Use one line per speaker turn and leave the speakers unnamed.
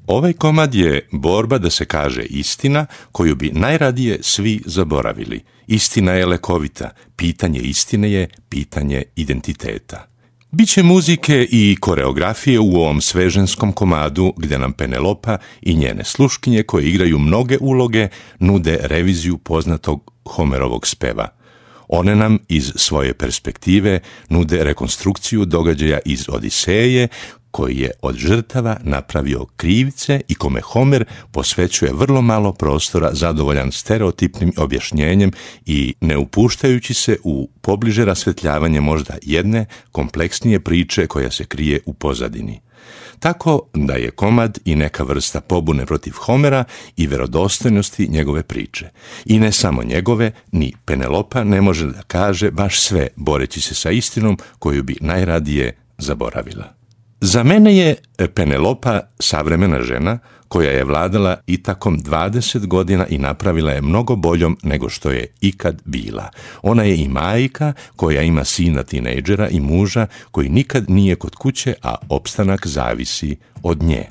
Ovaj komad je borba da se kaže istina koju bi najradije svi zaboravili. Istina je lekovita, pitanje istine je pitanje identiteta. Biće muzike i koreografije u ovom sveženskom komadu gdje nam Penelopa i njene sluškinje koje igraju mnoge uloge nude reviziju poznatog Homerovog speva. One nam iz svoje perspektive nude rekonstrukciju događaja iz Odiseje koji je od žrtava napravio krivce i kome Homer posvećuje vrlo malo prostora zadovoljan stereotipnim objašnjenjem i ne upuštajući se u pobliže rasvetljavanje možda jedne kompleksnije priče koja se krije u pozadini. Tako da je komad i neka vrsta pobune protiv Homera i vjerodostojnosti njegove priče. I ne samo njegove, ni Penelopa ne može da kaže baš sve boreći se sa istinom koju bi najradije zaboravila. Za mene je Penelopa savremena žena koja je vladala Itakom 20 godina i napravila je mnogo boljom nego što je ikad bila. Ona je i majka koja ima sina tinejdžera i muža koji nikad nije kod kuće, a opstanak zavisi od nje.